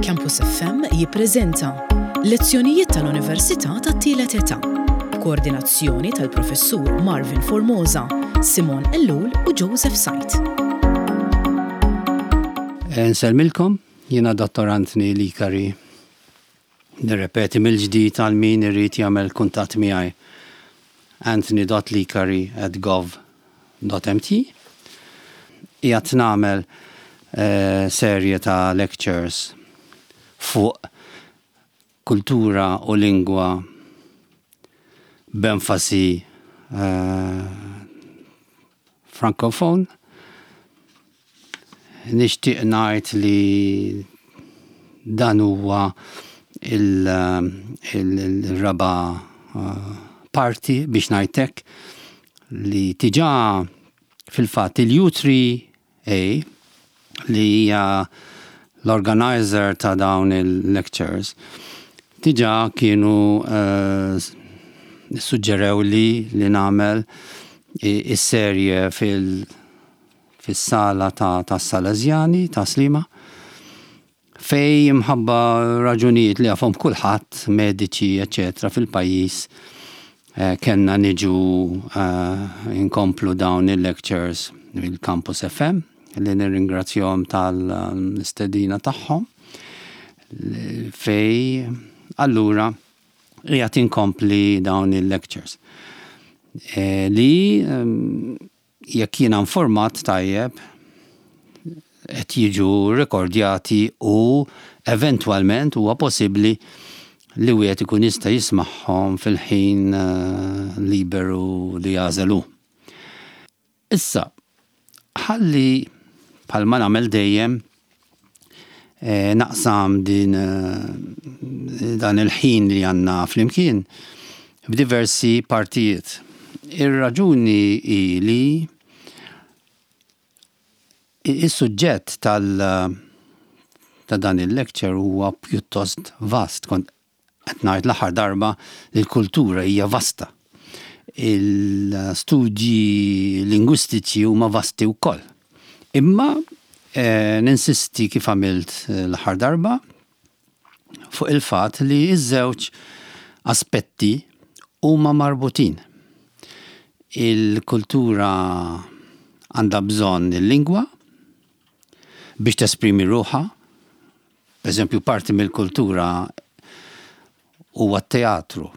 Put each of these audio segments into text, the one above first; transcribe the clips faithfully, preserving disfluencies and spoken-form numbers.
Campus F M jippreżenta lezzjonijiet tal-Università tat-Tielet Età b'koordinazzjoni tal-Professur Marvin Formosa, Simon Ellul u Joseph Sajt. Nsellmilkom, jiena Dottor Anthony Licari. Nirrepeti mill-ġdid għal min irid jagħmel kuntatt miegħi: anthony dot licari at gov dot M T. Qiegħed nagħmel eh, serje ta' lectures fuq kultura u lingwa b'enfasi eh, francophone. Nixtieq ngħid li dan huwa il-raba' eh, parti, biex ngħidlek, li diġà fil-fatt il-U three A, li hija l-organizer ta' dawn il-lectures, diġà kienu uh, suġġerew li li nagħmel is-serje fil- fis-sala ta' ta' Salesjani ta' Sliema, fejn minħabba raġunijiet li jafhom kulħadd, mediċi, eċetera, fil-pajjiż, eh, kellna niġu eh, inkomplu dawn il-lectures fil-Campus F M, li nirringrazzjahom tal-istedina tagħhom, fejn allura qiegħed inkompli dawn il-lectures. Eh, li jekk jiena informat tajjeb, qed jiġu rekordjati u eventwalment huwa possibbli li wieħed ikun jista' jismagħhom fil-ħin eh, liberu li jagħżel hu. Issa, ħalli bħalma nagħmel dejjem eh, naqsam din eh, dan il-ħin li għandna flimkien f'diversi partijiet. Ir-raġuni hi li is-suġġett tal ta' dan il-lecture huwa pjuttost vast. Kont qed ngħid l-aħħar darba li l-kultura hija vasta. Il-studji lingwistiċi huma vasti wkoll. Imma eh, ninsisti, kif għamilt l-aħħar darba, fuq il-fatt li ż-żewġ aspetti huma marbutin. Il-kultura għandha bżonn il-lingwa biex tesprimi ruħha. Per eżempju, parti mill-kultura huwa teatru.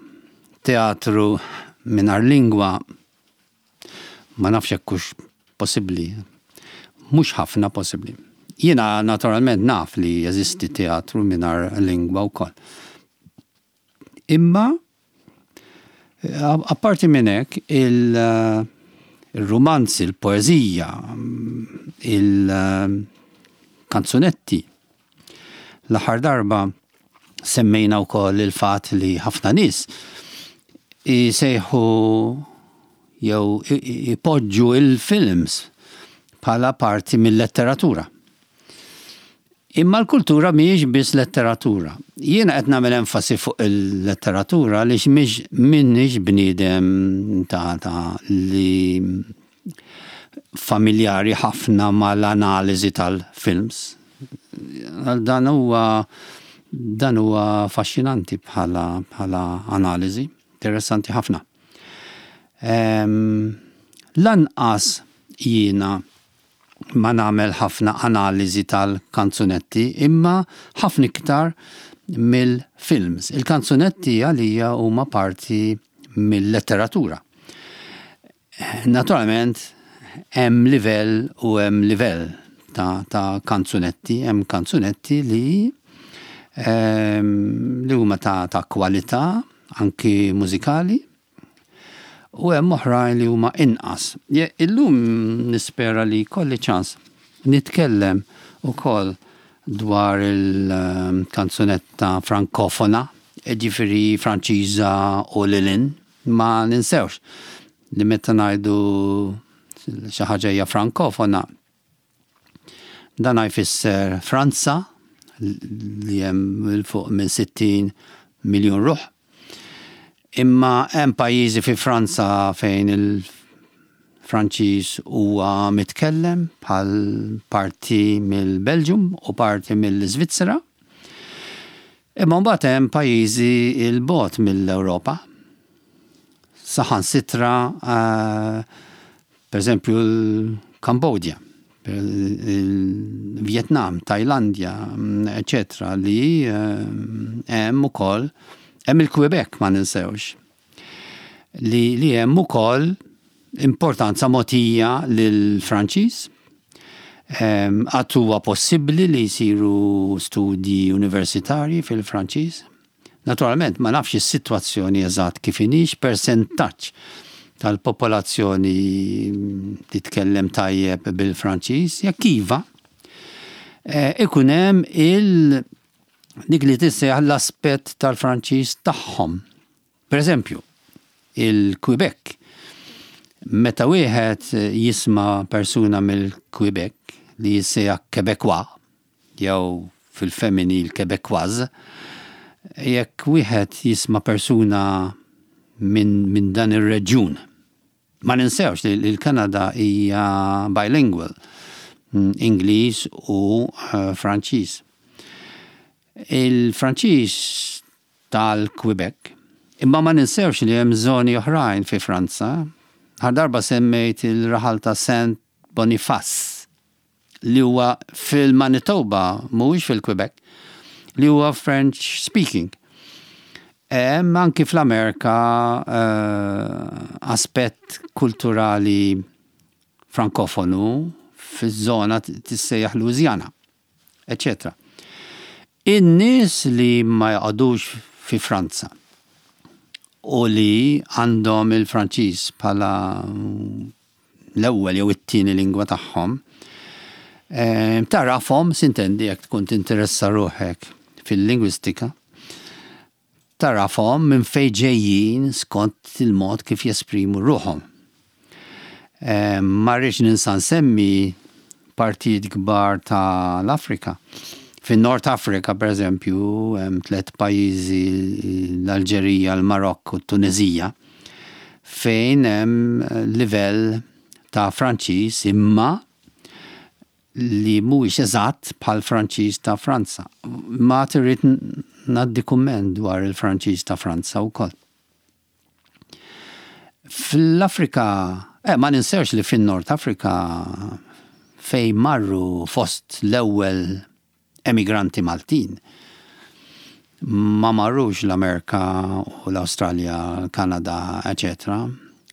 Teatru mingħajr lingwa ma nafx hekk hux possibbli. Mhux ħafna possibbli. Jiena naturalment naf li jeżisti teatru mingħajr lingwa wkoll. Imma apparti minn hekk, il-romanzi, il-poeżija, il-kanzunetti. L-aħħar darba semmejna wkoll il-fatt li ħafna nies jsejħu jew ipoġġu il-films bħala parti mill-letteratura. Imma l-kultura mhijiex biss letteratura. Jiena qed nagħmel enfasi fuq il-letteratura għaliex mhix m'inix bniedem ta', ta li familjari ħafna mal-analiżi tal-films. Dan huwa dan huwa affaxxinanti bħala bħala analiżi, interessanti ħafna. Um, lanqas jiena ma nagħmel ħafna analiżi tal-kanzunetti, imma ħafna iktar mill-films. Il-kanzunetti għalija huma parti mill-letteratura. Naturalment, hemm livell u hemm livell ta', ta' kanzunetti, hemm kanzunetti li um, li huma ta', ta' kwalità anki mużikali, u hemm oħrajn li huma inqas. Illum nispera li jkolli ċans nitkellem ukoll dwar il-kanzunetta frankofona, ġifieri Franċiża u lil hinn. Ma ninsewx li meta ngħidu xi ħaġa hija frankofona, dan jfisser Franza, li hemm 'il fuq minn sittin miljun ruħ. Imma hemm pajjiżi fi Franza fejn il-Franċiż huwa mitkellem, bħal parti mill-Belġium u parti mill-Iżvizzera. Imma mbagħad hemm pajjiżi 'l bogħod mill-Ewropa. Saħansitra, uh, per eżempju, l-Kambodja, il-Vietnam, Tajlandja, eccetera, li hemm ukoll, hemm il-Quebec, ma ninsewx, li, li hemm ukoll importanza mogħtija lill-Franċiż. Għad huwa possibbli li jsiru studji universitarji fil-Franċiż. Naturalment, ma nafx is-sitwazzjoni eżatt kif inhix, persentaġġ tal-popolazzjoni titkellem tajjeb bil-Franċiż, jekk iva, ikun hemm il dik li tissejjaħ l-aspett tal-Franċiż tagħhom. Per eżempju, il-Quebec. Meta wieħed jisma' persuna mill-Quebec li jissejjaħ Québécois, jew fil-femminil Québécoise, jekk wieħed jisma' persuna minn min dan ir-reġjun. Ma ninsewx li l-Kanada hija bilingual, Ingliż u uh, Franċiż. Il-Franċiż tal-Quebec, imma ma ninsewx li hemm żoni oħrajn fi Franza. Ħar darba semmejt il-raħal ta' Saint Boniface li huwa fil-Manitoba, mhuwiex fil-Quebec, li huwa French speaking. Hemm anki fl-Amerika uh, aspett kulturali frankofonu fiż-żona tissejjaħ Louisiana, eccetera. In-nies li ma jaqgħodux fi Franza u li għandhom il-Franċiż bħala l-ewwel jew it-tieni lingwa tagħhom, tarafhom, s'intendi, jekk tkun tinteressa ruħek fil-lingwistika, tarafhom minn fejn ġejjin skont il-mod kif jesprimu ruħhom. Ma rridx ninsa nsemmi partijiet kbar ta' l-Afrika. Fin-Nord Afrika, per eżempju, hemm tliet pajjiżi, l-Alġerija, l-Marokk u t-Tunezija, fejn hemm livell ta' Franċiż imma li mhuwiex eżatt bħal Franċiż ta' Franza. Ma trid ngħaddi kumment dwar il-Franċiż ta' Franza wkoll. Fl-Afrika, eh, ma ninsewx li fin-Nord Afrika fej marru fost l-ewwel emigranti Maltin, ma marrux l-Amerika u l-Awstralja, Kanada, eccetera.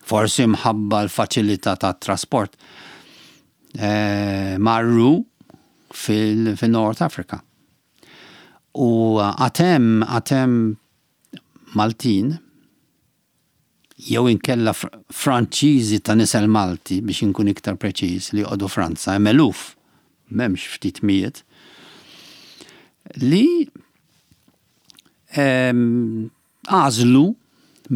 Forsi mħabba l-faċilità ta' trasport, eh, marru fil-North Africa. U għad hemm, għad hemm Maltin, jew inkella Franċiżi ta' nisel Malti, biex inkun iktar preċiż, li joqogħdu Franza, hemm eluf, m'hemmx ftit mijiet, li għażlu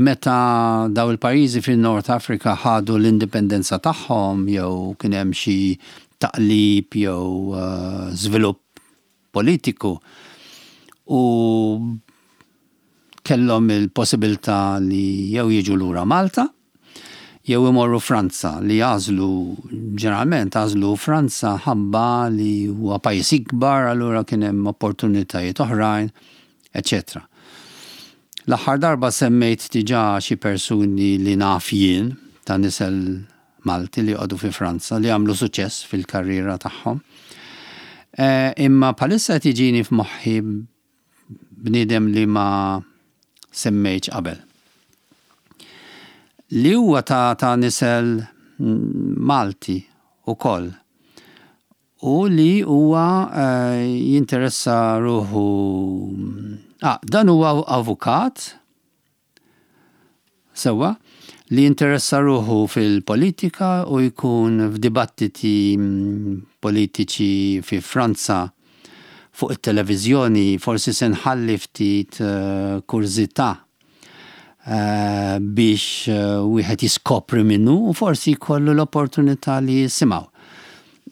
meta daw il-pajjiżi fin-North Africa ħadu l-indipendenza tagħhom jew kien hemm xi taqlib jew żvilupp politiku u kellhom il-possibilità li jew jiġu lura Malta jew imorru Franza, li għażlu, ġeneralment għażlu Franza ħabba li huwa pajjiż ikbar, allura kien hemm opportunitajiet oħrajn, eccetera. L-aħħar darba semmejt diġà xi persuni li naf jien ta' nisel Malti li joqogħdu fi Franza li għamlu suċċess fil-karriera tagħhom. Imma bħalissa qed jiġini f'moħħi bniedem li ma semmejtx qabel, li huwa ta', ta' nisel Malti ukoll u li huwa uh, jinteressa ruħu. Ah, dan huwa avukat sewwa li jinteressa ruħu fil-politika u jkun f'dibattiti politiċi fi Franza fuq it-televiżjoni. Forsi se nħalli ftit uh, kurżità uh, biex uh, wieħed jiskopri minnu u forsi jkollu l-opportunità li jisimgħu.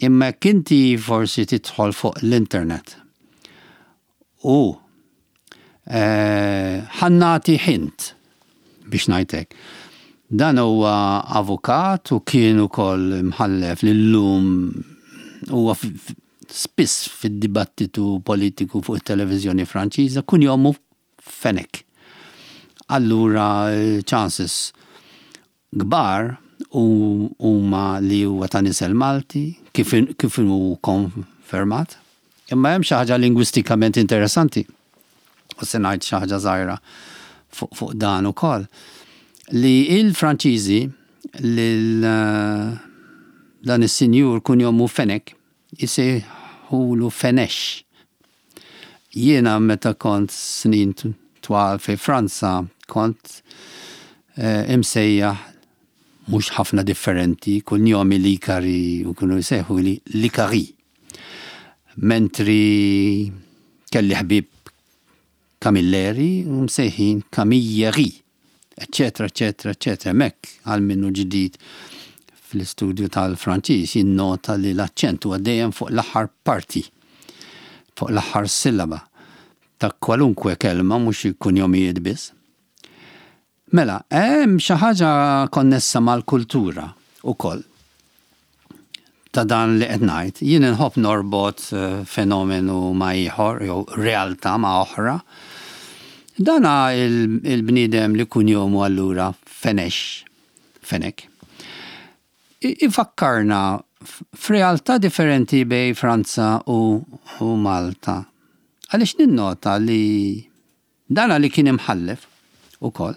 Imma jekk inti forsi tidħol fuq l-internet u ħa nagħti hint biex ngħidlek. Dan huwa avukat u kien ukoll mħallef li llum huwa spiss fid-dibattitu politiku fuq it-televiżjoni Franċiża, kunjomu Fenech. Allura chances kbar huma li huwa ta' nisel Malti, kif kif hu konfermat. Imma hemm xi ħaġa lingwistikament interessanti. U se ngħid xi ħaġa żgħira fuq fuq dan ukoll. Li il-Franċiżi lil dan is-sinjur kunjomu Fenech isejħulu Fenex. Jiena meta kont snin twal fi Franza kont eh, imsejjaħ mhux ħafna differenti, kunjomi Licari u kienu jsejħu li Licari. Mentri kelli ħbib Camilleri u msejħin Camilleri, eccetera, eccetera, eccetera. Mek għal minnu ġdid fl-istudju tal-Franċiż jinnota li l-aċċent huwa dejjem fuq l-aħħar parti, fuq l-aħħar sillaba ta' kwalunkwe kelma, mhux kunjomijiet biss. Mela, hemm xi ħaġa konnessa mal-kultura ukoll ta' dan li qed ngħid. Jien inħobb norbot eh, fenomenu ma' ieħor jew realtà ma' oħra. Dana il-bniedem li kunjomu allura Fenex, Fenech. Ifakkarna f'realtà differenti bejn Franza u, u Malta. Għaliex ninnota li dana li kien imħallef ukoll,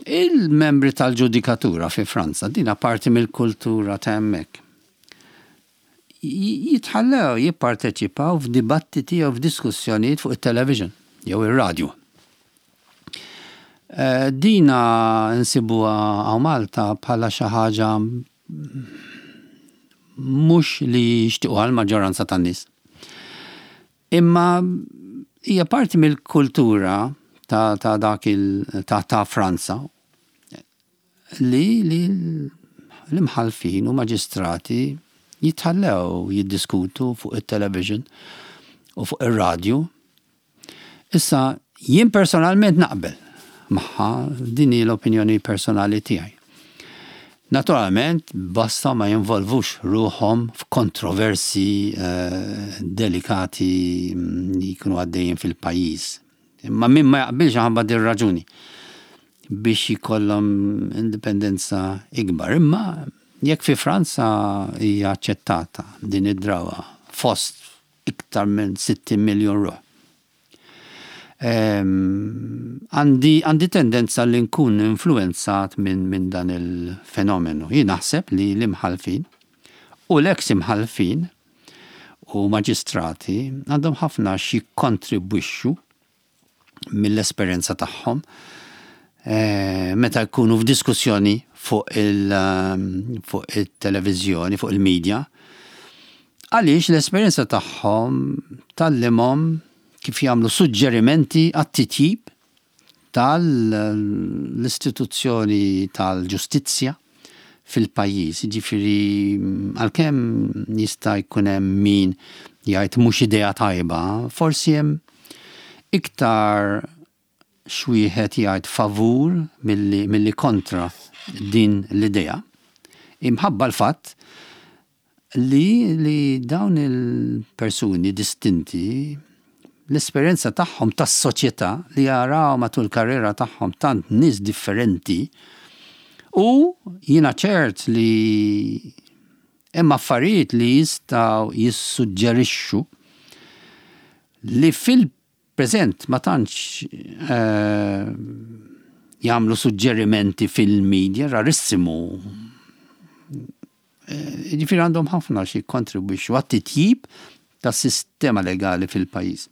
il-membri tal-ġudikatura fi Franza, dina parti mill-kultura ta' hemmhekk, jitħallew jipparteċipaw f'dibattiti jew f'diskussjonijiet fuq it-television jew ir-radju. Eh, dina nsibuha hawn Malta bħala xi ħaġa mhux li jixtiequha l-maġġoranza tan-nies. Imma hija parti mill-kultura ta', ta' dak il ta', ta' Franza li, li l-imħalfin u maġistrati jitħallew jiddiskutu fuq it-television u fuq ir-radju. Issa, jien personalment naqbel magħha, din hi l-opinjoni personali tiegħi. Naturalment, basta ma jinvolvux ruħhom f'kontroversi eh, delikati mm, li jkunu għaddejjin fil-pajjiż. Imma min ma jaqbilx ħabba din raġuni biex jkollhom indipendenza ikbar. Imma jekk fi Franza hija aċċettata din id-drawa fost iktar minn sittin miljon ruħ, Għandi għandi tendenza li nkun influenzat minn min dan il-fenomenu. Jien naħseb li l-imħalfin u l-eks imħalfin u maġistrati għandhom ħafna xi kontribwixxu mill-esperjenza tagħhom eh, meta jkunu f'diskussjoni fuq il- fuq il-televiżjoni, fuq il-medja, għaliex l-esperjenza tagħhom tgħallimhom kif jagħmlu suġġerimenti għat-titjib tal-istituzzjoni tal-ġustizzja fil-pajjiż. Ġifieri għalkemm jista' jkun hemm min jgħid mhux idea tajba, forsi hemm iktar x'wieħed jgħid favur milli, milli kontra din l-idea. Imħabba l-fatt li, li dawn il-persuni distinti, l-esperjenza tagħhom tas-soċjetà li jaraw matul karriera tagħhom tant nies differenti, u jiena ċert li hemm affarijiet li jistgħu jissuġġerixxu li fil-preżent ma tantx eh, jagħmlu suġġerimenti fil-media, rarissimu. Eh, Ġifieri għandhom ħafna xi kontribwixxu għat-titjib tas-sistema legali fil-pajjiż.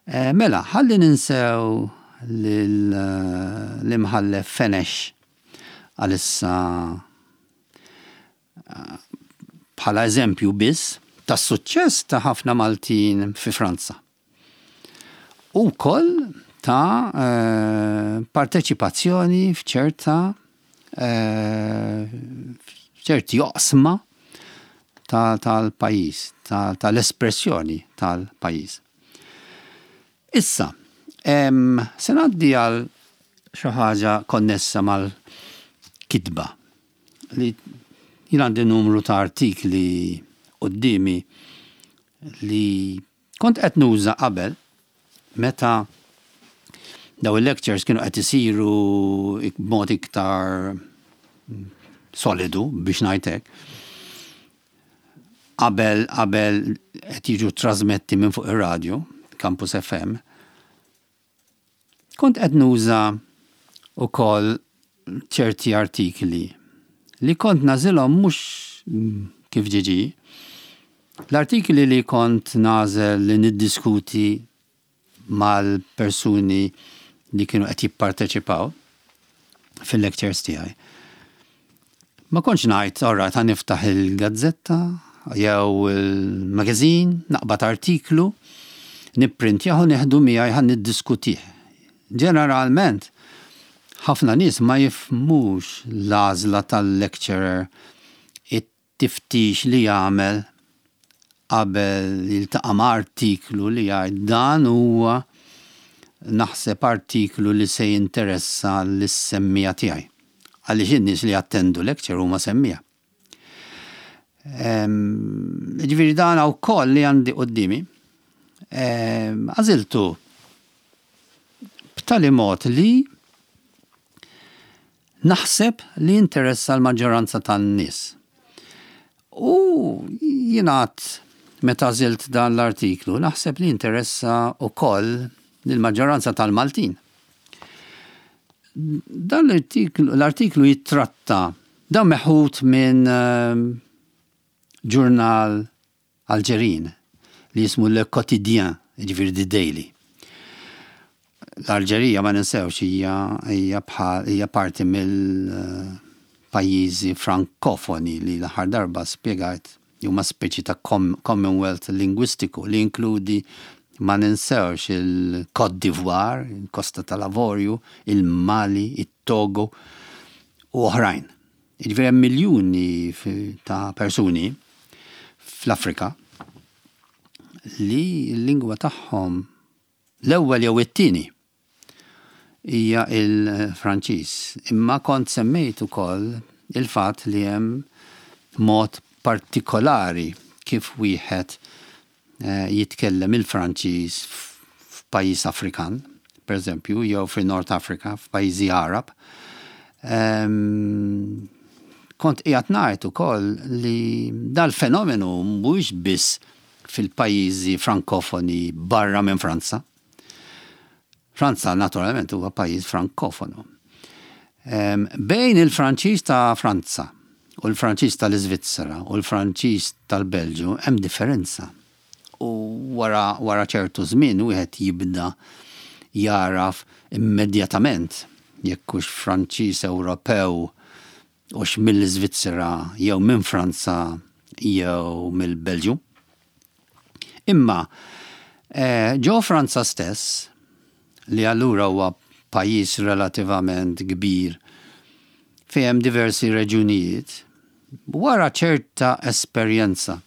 Eh, Mela, ħalli ninsew l-imħallef Fenech għalissa eh, bħala eżempju biss tas suċċess ta' ħafna Maltin fi Franza. U koll ta' eh, parteċipazzjoni f'ċerta eh, f'ċerti oqsma tal-pajjiż, tal-espressjoni tal-pajjiż. Issa, em, se ngħaddi għal xi ħaġa konnessa mal-kitba li jien għandi numru ta' artikli quddiemi li kont qed nuża qabel meta daw il-lectures kienu qed isiru b'mod iktar solidu, biex ngħidlek. Qabel qabel qed jiġu trasmetti minn fuq ir-radju, Campus F M. Kont qed nuża ukoll ċerti artikli li kont nagħżilhom mhux kif ġie ġie. L-artikli li kont nagħżel li niddiskuti mal-persuni li kienu qed jipparteċipaw fil-lectures tiegħi. Ma kontx ngħid, "Alright, ħa niftaħ il-gazzetta jew il-magazine, naqbad artiklu, nipprintjah u nieħdu miegħi, ħa niddiskutih." Ġeneralment, ħafna nies ma jifhmux l-għażla tal-lecturer, it-tiftix li jagħmel qabel jiltaqa' ma' artiklu li jgħid, "Dan huwa naħseb artiklu li se jinteressa lis-semmiegħa tiegħi." Għaliex in-nies li jattendu lecture huma semmiegħa. Ġifieri dan ukoll li għandi quddiemi. Għażiltu b'tali mod li naħseb li interessa l-maġġoranza tan-nies. U jingħad meta għażilt dan l-artiklu, naħseb li interessa ukoll lill-maġġoranza tal-Maltin. Dan l-artiklu, l-artiklu jittratta, dan meħud minn ġurnal Alġerin li jismu Le Quotidien, ġifieri The Daily. L-Alġerija, ma ninsewx, hija hija bħal hija parti mill-pajjiżi frankofoni li l-aħħar darba spjegajt li huma speċi ta' Commonwealth lingwistiku li inkludi, ma ninsewx, il-Côte d'Ivoire, il-Kosta tal-Avorju, il-Mali, il-Togo u oħrajn. Ġifieri hemm miljuni ta' persuni fl-Afrika li l-lingwa tagħhom l-ewwel jew it-tieni hija il-Franċiż. Imma kont semmejt ukoll il-fatt li hemm mod partikolari kif wieħed eh, jitkellem il-Franċiż f'pajjiż Afrikan, per eżempju, jew fi North Africa, f'pajjiżi Arab. Em, kont qiegħed ngħid ukoll li dal-fenomenu mhuwiex biss fil-pajjiżi frankofoni barra minn Franza. Franza naturalment huwa pajjiż frankofonu. Em, bejn il-Franċiż ta' Franza u l-Franċiż tal-Iżvizzera u l-Franċiż tal-Belġu hemm differenza. U wara, wara ċertu żmien wieħed jibda jaraf immedjatament jekk hux Franċiż Ewropew hux mill-Iżvizzera jew minn Franza jew mill-Belġu. Imma eh, ġo Franza stess, li allura huwa pajjiż relativament kbir fejn hemm diversi reġunijiet, wara ċerta esperjenza.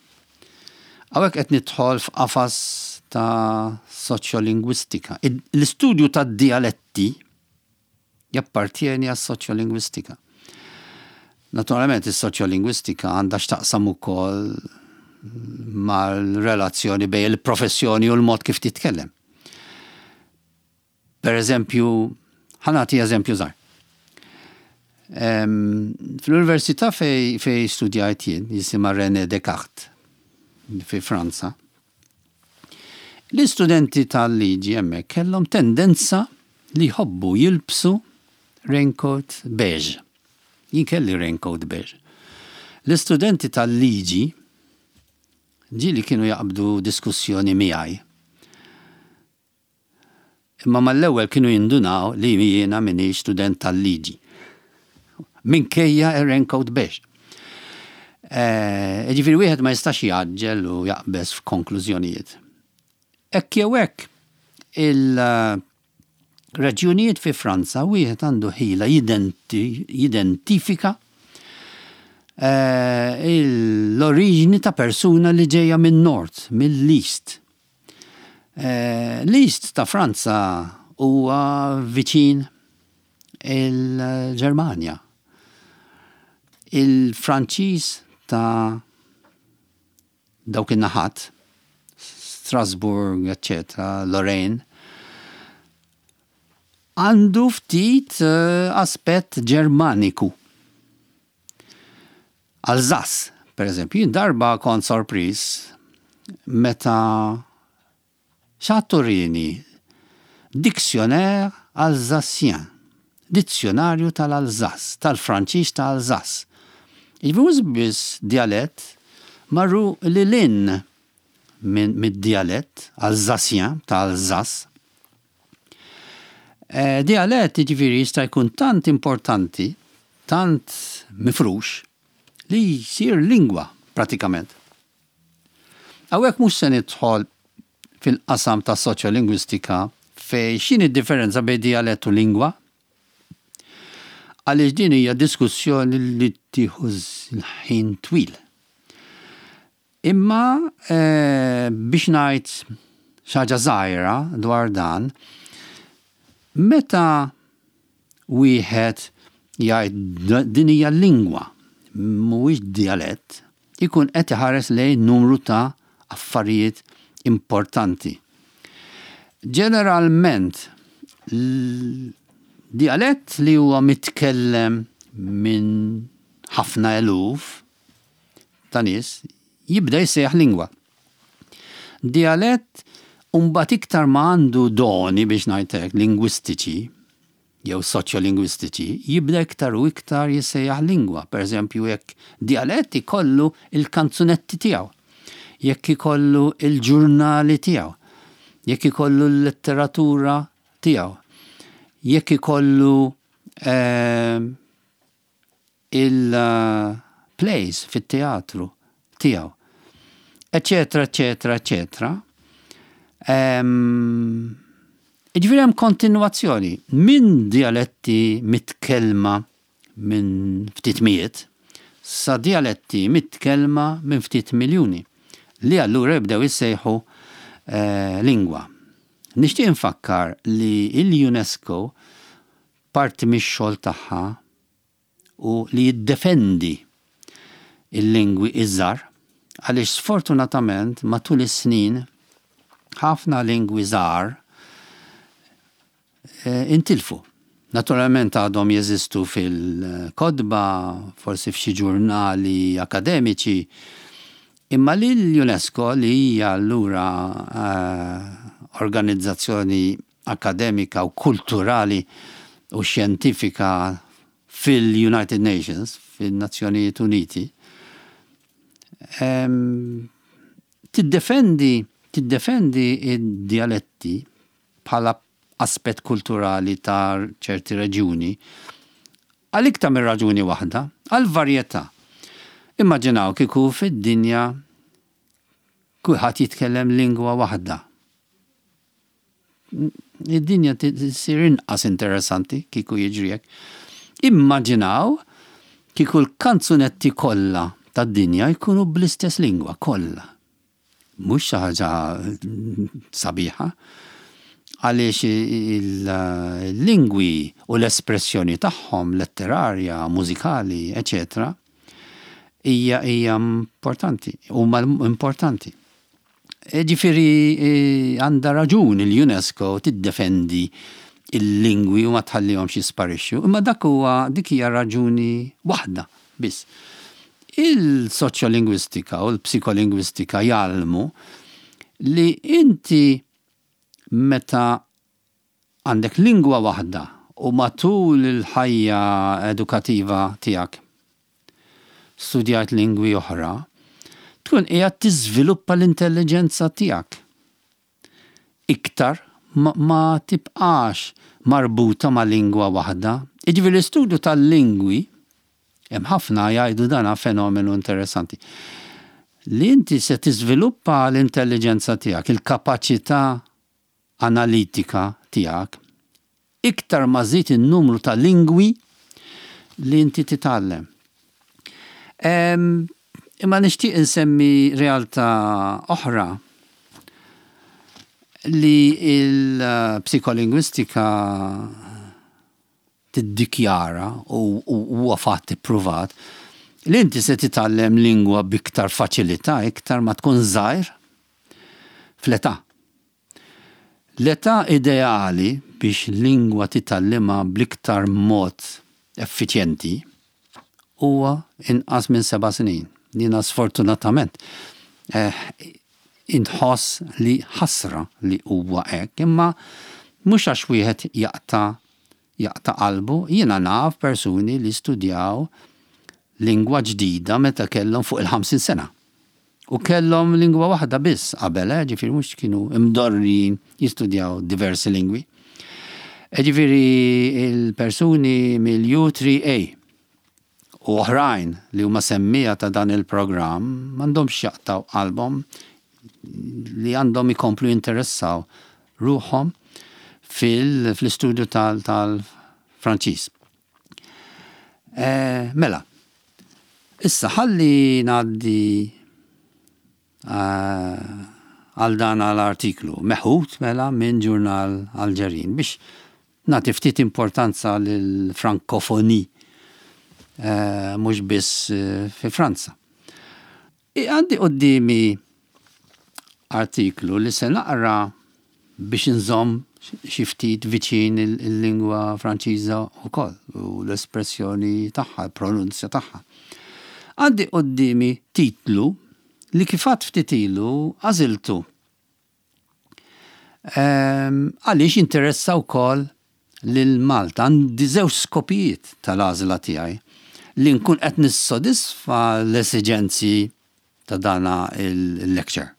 Hawnhekk qed nidħol f'qafas ta' soċjolingwistika. L-istudju ta' dialetti jappartieni għas soċjolingwistika. Naturalment, is-soċjolingwistika għandha x'taqsam ukoll mal-relazzjoni bejn il-professjoni u l-mod kif titkellem. Per eżempju, ħa nagħti eżempju żgħir. Fl-università fej, fej studjajt jien, jisimha René Descartes, fi Franza, l-istudenti tal-liġi hemmhekk kellhom tendenza li jħobbu jilbsu raincoat beige. Jien kelli raincoat beige. L-istudenti tal-liġi ġieli kienu jaqbdu diskussjoni miegħi. Imma mal-ewwel kienu jindunaw li jiena minix student tal-liġi. Minkejja ir-raincoat beige. Eh, ġifieri wieħed ma jistax jgħaġġel u jaqbeż f'konklużjonijiet. Hekk jew hekk, il-reġjunijiet fi Franza wieħed għandu ħila jidentifika eh, l-oriġini ta' persuna li ġejja minn Nord, mill-East. Eh, L-East ta' Franza huwa viċin il-Ġermanja. Il-Franċiż ta' Dawk in-naħat, Strasbourg, eccetera, Lorraine, għandu ftit eh, aspett Ġermaniku. Alsace, per eżempju, jien darba kont sorpriż meta xi ħadd urieni Dictionnaire Alsacien, dizzjonarju tal-Alsace, tal-Franċiż ta' Alsace. Jiġifieri mhux biss dialett, marru lil hinn minn mid-dialett Alsacien ta' Alsace. Eh, dialett jiġifieri jista' jkun tant importanti, tant mifrux, li jsir lingwa pratikament. Hawnhekk mhux se nidħol fil-qasam ta' soċjolingwistika fejn x'inhi differenza bejn dialett u lingwa, għaliex din hija diskussjoni li tieħu ħin twil. Imma eh, biex ngħid xi ħaġa żgħira dwar dan, meta wieħed jgħid din hija lingwa, mhuwiex dialett, ikun qed iħares lejn numru ta' affarijiet importanti. Ġeneralment, dialett li huwa mitkellem minn ħafna eluf ta' nies jibda jissejjaħ lingwa. Dialett mbagħad iktar ma għandu doni, biex ngħidlek, lingwistiċi jew soċjolingwistiċi, jibda iktar u iktar jissejjaħ lingwa. Per eżempju, jekk dialett ikollu il-kanzunetti tiegħu, jekk ikollu il-ġurnali tiegħu, jekk ikollu l-letteratura tiegħu, jekk ikollu eh, il-plays fit-teatru tiegħu, eccetera, eccetera, eccetera. Jiġifieri hemm kontinuazzjoni minn dialetti mitkellma minn ftit mijiet sa dialetti mitkellma minn ftit miljuni li allura jibdew jissejħu eh, lingwa. Nixtieq infakkar li l-UNESCO parti mix-xogħol tagħha u li jiddefendi il-lingwi iż-żgħar, għaliex sfortunatament matul is-snin ħafna lingwi żgħar eh, intilfu. Naturalment għadhom jeżistu fil-kotba, forsi f'xi ġurnali akademiċi, imma li l-UNESCO, li hija allura eh, organizzazzjoni akademika u kulturali u xjentifika fil-United Nations, fil-Nazzjonijiet Uniti, em, tiddefendi tiddefendi id-dialetti bħala aspett kulturali ta' ċerti reġjuni għal iktar minn raġuni waħda, għal varjetà. Immaġinaw kieku fid-dinja kulħadd jitkellem lingwa waħda. Id-dinja tsir inqas interessanti kieku jiġri hekk. Immaġinaw kieku l-kanzunetti kollha tad-dinja jkunu bl-istess lingwa kollha. Mhux xi ħaġa sabiħa, għaliex il-lingwi u l-espressjoni tagħhom letterarja, mużikali, eċetera, hija hija importanti, huma importanti. Ġifieri għandha raġun il-UNESCO tiddefendi il-lingwi u ma tħallihomx jisparixxu, imma dak huwa dik hija raġuni waħda biss. Il-soċjolingwistika u l-psikolingwistika jgħallmu li inti meta għandek lingwa waħda u matul il-ħajja edukativa tiegħek studjajt lingwi oħra, tkun qiegħed tiżviluppa l-intelligenza tiegħek. Iktar ma, ma tibqax marbuta ma' lingwa waħda. Jiġifieri l-istudju tal-lingwi, hemm ħafna jgħidu dana fenomenu interessanti, li inti se tiżviluppa l-intelligenza tiegħek, il-kapaċità analitika tiegħek, iktar ma żid in-numru ta' lingwi li inti titgħallem. Imma nixtieq insemmi realtà oħra li il-psikolingwistika tiddikjara u huwa fatt ippruvat Li inti se titgħallem lingwa b'iktar faċilità, iktar ma tkun żgħir fl-età. L-età ideali biex lingwa titgħallimha bl-iktar mod effiċjenti huwa inqas minn seba' snin. Jiena sfortunatament eh, inħoss li ħasra li huwa hekk, imma mhux għax wieħed jaqta' jaqta' qalbu, jiena naf persuni li studjaw lingwa ġdida meta kellhom fuq il-ħamsin sena. U kellhom lingwa waħda biss qabel, eh, ġifieri mhux kienu imdorrijin jistudjaw diversi lingwi. E ġifieri il-persuni mill-U tlieta A u oħrajn li huma semmija ta' dan il-programm m'għandhomx jaqtaw qalbhom, li għandhom ikomplu jinteressaw ruħhom fil-istudju tal-Franċiż. Eh, mela, issa ħalli ngħaddi eh, għal dan l-artiklu meħud mela minn ġurnal Alġerin biex nagħti ftit importanza lill-Frankofoni eh, mhux biss fi Franza. Għandi quddiemi artiklu li se naqra biex nżomm xi ftit viċin il-lingwa Franċiża wkoll u l-espressjoni tagħha, il-pronunzja tagħha. Għandi quddiemi titlu li kif għedt ftit ilu għażiltu. Ehm, għaliex interessa wkoll lil Malta. Għandi żewġ skopijiet tal-għażla tiegħi, li nkun qed nissodisfa l-esiġenzi ta' dana il-lecture.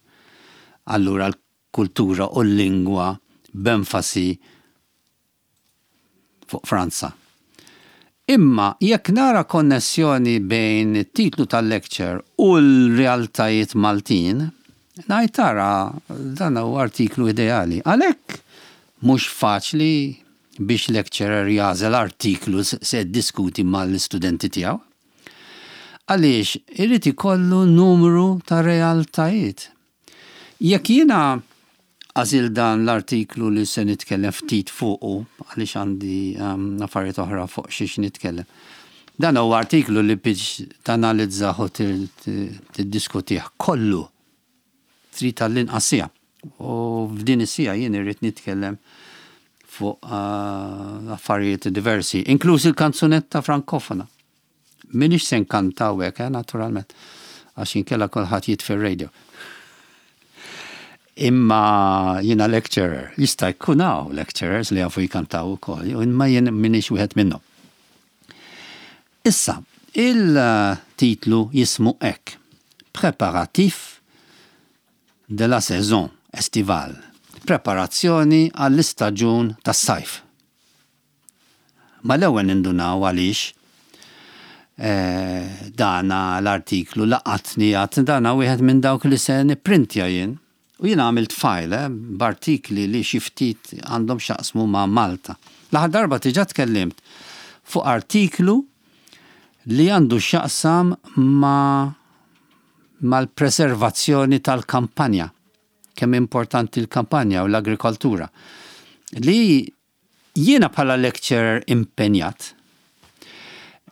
Allura l-kultura u l-lingwa b'enfasi fuq Franza. Imma jekk nara konnessjoni bejn it-titlu tal-lecture u l-realtajiet Maltin, ngħid tara, dan huwa artiklu ideali. Għalhekk mhux faċli biex lecturer jagħżel artiklu se diskuti mal-istudenti tiegħu. Għaliex irid ikollu numru ta' realtajiet. Jekk jiena għażilt dan l-artiklu li se nitkellem ftit fuqu, għaliex għandi um, affarijiet oħra fuq xiex nitkellem. Dan huwa artiklu li biex tanalizzah u tiddiskutih kollu trid tal-inqas siegħa. U f'din is-siegħa jien irrid nitkellem fuq uh, affarijiet diversi, inkluż il-kanzunetta frankofona. Minix se nkantaw hekk, eh, naturalment, għax inkella kulħadd jitfi r-radio. Imma jiena lecturer, jista' jkun hawn lecturers li jafu jkantaw ukoll, imma jien minix wieħed minnhom. Issa, il-titlu jismu hekk: "Préparatifs de la saison estivale". Preparazzjoni għall-istaġun tas-sajf. Ma l-ewwel nindunaw għaliex eh, dana l-artiklu laqatni, għedt dana wieħed minn dawk li se nipprintja jien. U jien għamilt file eh, b'artikli li xi ftit għandhom x'jaqsmu ma' Malta. L-aħħar darba diġà tkellimt fuq artiklu li għandu x'jaqsam ma' mal-preservazzjoni tal-kampanja. Kemm importanti l-kampanja u l-agrikoltura. Li jiena bħala lecturer impenjat,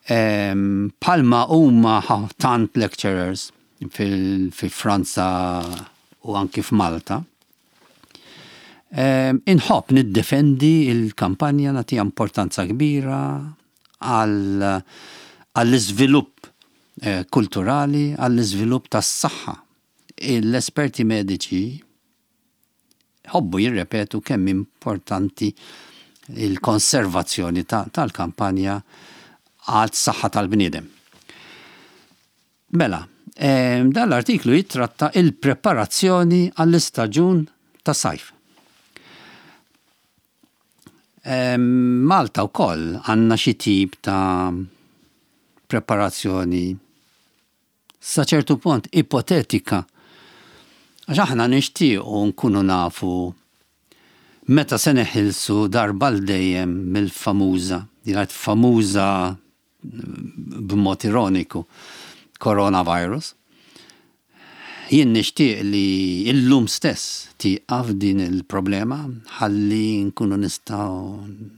bħalma huma tant lecturers fi Franza u anki f'Malta, inħobb niddefendi il-kampanja, nagħtiha importanza kbira għall-iżvilupp eh, kulturali, għall-iżvilupp tas-saħħa. L-esperti mediċi ħobbu jirrepetu kemm importanti il-konservazzjoni tal-kampanja għal saħħa tal-bniedem. Mela, dan l-artiklu jitratta il-preparazzjoni għall-istaġun ta' sajf. Malta wkoll għandna xi tip ta' preparazzjoni sa ċertu punt ipotetika. Għax aħna nixtiequ nkunu nafu meta se neħilsu darba għal dejjem mill-famuża, jgħid famuża b'mod ironiku, coronavirus. Jien nixtieq li illum stess tieqaf din il-problema ħalli nkunu nistgħu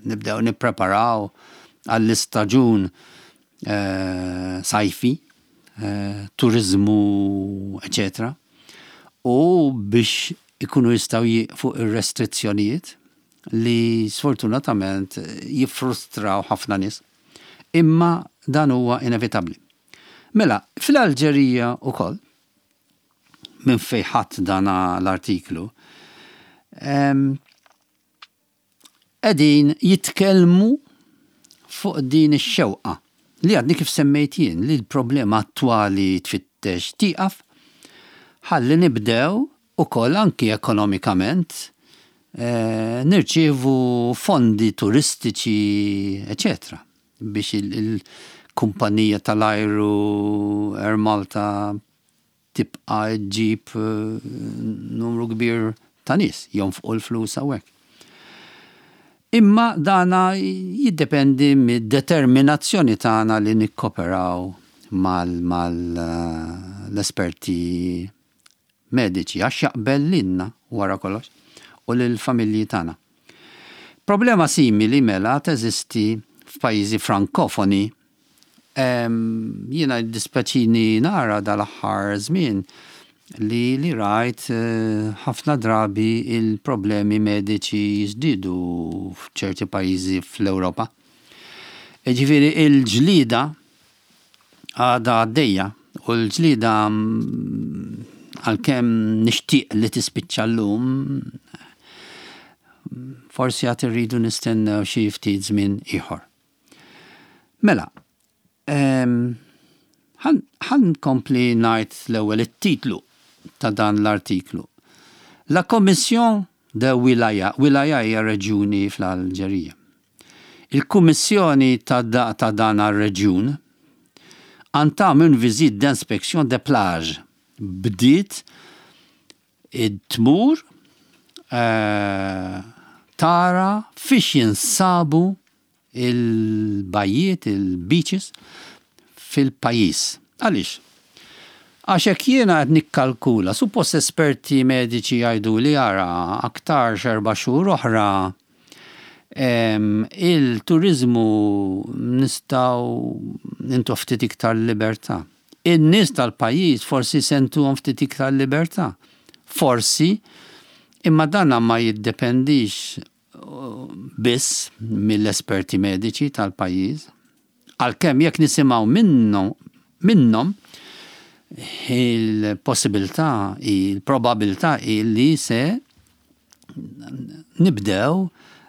nibdew nippreparaw għall-istaġun eh, sajfi. eh, turizmu, eċetera. U biex ikunu jistgħu jieqfu ir-restrizzjonijiet li sfortunatament jiffrustraw ħafna nies. Imma dan huwa inevitabbli. Mela, fl-Alġerija ukoll, minn fejn ħadt dan l-artiklu, qegħdin jitkellmu fuq din ix-xewqa li għadni kif semmejt jien, li l-problema attwali tfittex tieqaf, ħalli nibdew ukoll anki ekonomikament eh, nirċievu fondi turistiċi, eċetera, biex il-kumpanija tal-ajru Air Malta tibqa ġġib eh, numru kbir ta' nies jonfqu l-flus hawnhekk. Imma dana jiddependi mid-determinazzjoni tagħna li nikkoperaw mal-esperti mediċi, għax jaqbel lilna wara kollox u lill-familji tagħna. Problema simili mela teżisti f'pajjiżi frankofoni. Jiena dispjaċini nara dal-aħħar żmien li li rajt ħafna drabi il-problemi mediċi jiżdiedu f'ċerti pajjiżi fl-Ewropa. Ġifieri il-ġlida għadha għaddejja u l-ġlida għalkemm nixtieq li tispiċċa llum, forsi għad irridu nistennew xi ftit żmien ieħor. Mela, ħa nkompli ngħid l-ewwel it-titlu ta' dan l-artiklu. La Commission de Wilaya, Wilaya hija reġjuni fl-Alġerija. Il-Kummissjoni ta' ta' dan ar-reġjun entame une visite d'inspection des plages. Bdiet tmur tara fiex jinsabu il-bajjiet, il-beaches fil-pajjiż. Għaliex? Għax hekk jiena qed nikkalkula, suppost esperti mediċi jgħidu li ara aktar erba' xhur oħra il-turizmu nistgħu nintu ftit iktar libertà. In-nies tal-pajjiż forsi sentuhom ftit iktar libertà. Forsi, imma dana ma jiddependix biss mill-esperti mediċi tal-pajjiż. Għalkemm jekk nisimgħu minnhom minnhom il-possibilità, il-probabilità li se nibdew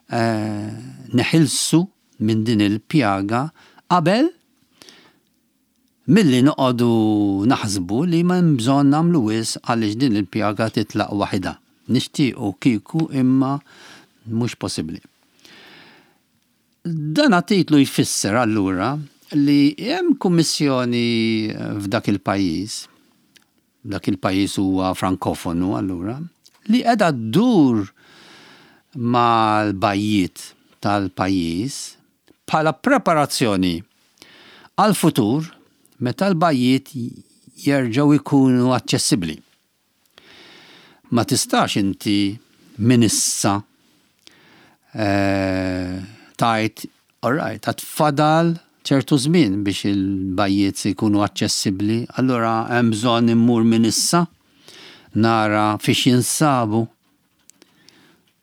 eh, neħilsu minn din il-pjaga qabel milli noqogħdu naħsbu li ma bżonn nagħmlu wisq għaliex din il-pjaga titlaq waħidha. Nixtiequ kieku, imma mhux possibbli. Dan titlu jfisser allura li hemm kummissjoni f'dak il-pajjiż, dak il-pajjiż huwa frankofonu allura, li qiegħda ddur mal-bajjiet tal-pajjiż bħala preparazzjoni għal-futur meta l-bajjiet jerġgħu jkunu aċċessibbli. Ma tistax inti minn issa eh, tgħid, all right, għad fadal ċertu żmien biex il-bajjiet se jkunu aċċessibbli, allura hemm bżonn immur minn issa nara fiex jinsabu.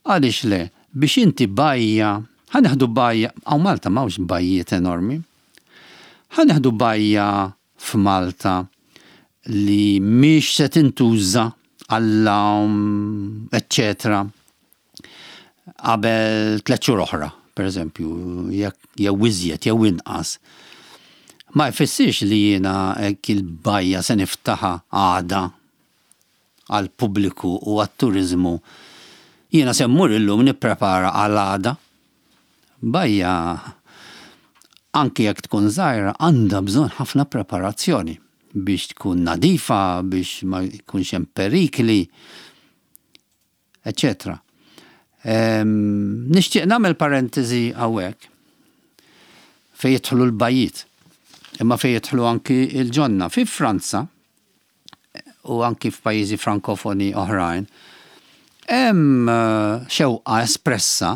Għaliex le? Biex inti bajja, ħa nieħdu bajja, hawn Malta m'hawnx bajjiet enormi, ħa nieħdu bajja f'Malta li mhix se tintuża għall-għawm, eccetera, qabel tliet xhur oħra, per eżempju, jew iżjed jew inqas. Ma jfissirx li jiena hekk il-bajja se niftaħa għada għal pubbliku u għat-turizmu. Jiena se mmur illum nipprepara għal għada. Bajja, anki jekk tkun żgħira, għandha bżonn ħafna preparazzjoni biex tkun nadifa, biex ma jkunx hemm perikli, eccetera. Nixtieq nagħmel parentesi hawnhekk fejn jidħlu l-bajjiet, imma fejn jidħlu anki il-ġonna. Fi Franza u anki f'pajjiżi frankofoni oħrajn, hemm xewqa espressa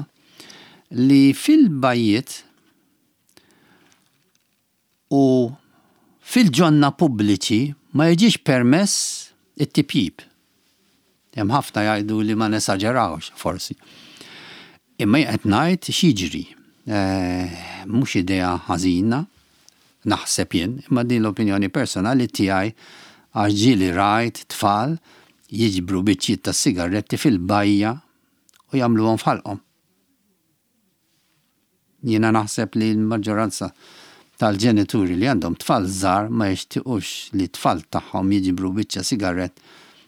li fil-bajjiet u Fil-ġonna pubbliċi ma jiġix permess it-tipjib. Hemm ħafna jgħidu li ma nesaġerawx forsi. Imma qed ngħid x'jiġri. Eh, mhux idea ħażina, naħseb jien, imma din l-opinjoni personali tiegħi, għax ġieli rajt tfal jiġbru biċċiet ta' sigaretti fil-bajja u jagħmluhom f'ħalqhom. Jiena naħseb li l-maġġoranza tal-ġenituri li għandhom tfal żgħar ma jixtiequx li tfal tagħhom jiġbru biċċa sigarett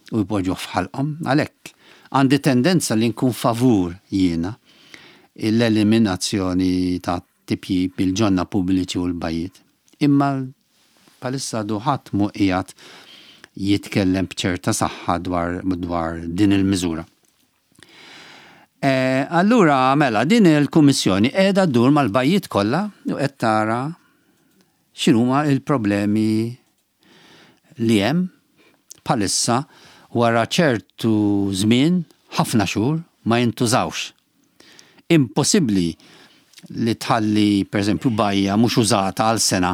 u jpoġġuh f'ħalqhom. Għalhekk għandi tendenza li nkun favur jiena l-eliminazzjoni ta' tipjip bil-ġonna pubbliċi u l-bajjiet. Imma bħalissa għadu ħadd mhu qiegħed jitkellem b'ċerta saħħa dwar, dwar din il-miżura. E, allura, mela, din il-kummissjoni qiegħda ddur mal-bajjiet kollha u qed tara x'inhuma il-problemi li hemm bħalissa wara ċertu żmien, ħafna xhur, ma jintużawx. Impossibbli li tħalli, pereżempju, bajja mhux użata għal sena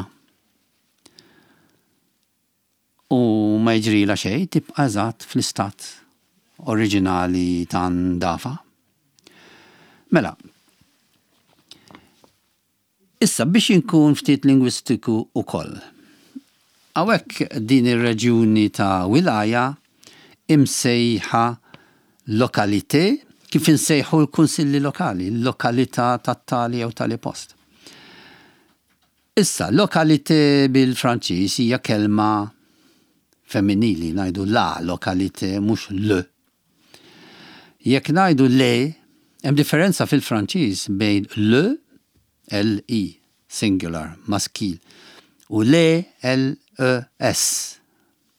u ma jiġrilha xejn, tibqa' eżatt fl-istat oriġinali ta' ndafa. Mela, issa biex inkun ftit lingwistiku ukoll. Hawnhekk din ir-reġjuni ta' wilaya imsejħa localité, kif insejħu l-kunsilli lokali, lokalità tat-tali jew tali post. Issa, localité bil-Franċiż hija kelma femminili, ngħidu la localité, mhux le. Jekk ngħidu le, hemm differenza fil-Franċiż bejn le, L E, singular, maskil, u le, L E S.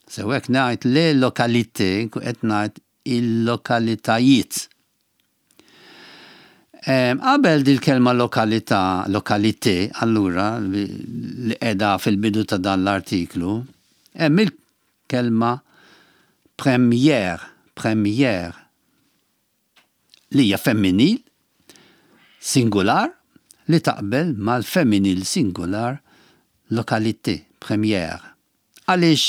So jekk ngħid le localité, qed ngħid il-lokalitajiet. Qabel dil-kelma lokalità, localité, allura, li qiegħda fil-bidu ta' dan l-artiklu, hemm il-kelma première, première, li hija femminil, singular, li taqbel mal-femminil singular localité, première. Għaliex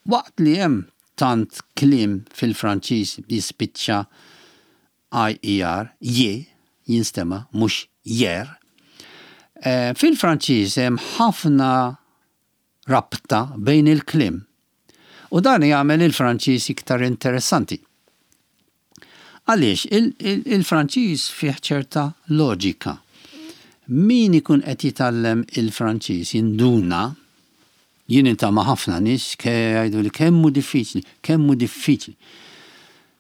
waqt li hemm tant kliem fil-Franċiż jispiċċa I E R, je, jinstema, mhux jer, eh, fil-Franċiż hemm ħafna rabta bejn il-kliem. U dan jagħmel il-Franċiż iktar interessanti. Għaliex, il-Franċiż fih ċerta loġika. Min ikun qed jitgħallem il-Franċiż jinduna, jien niltaqa' ma' ħafna nies jgħidu li kemm hu diffiċli, kemm hu diffiċli.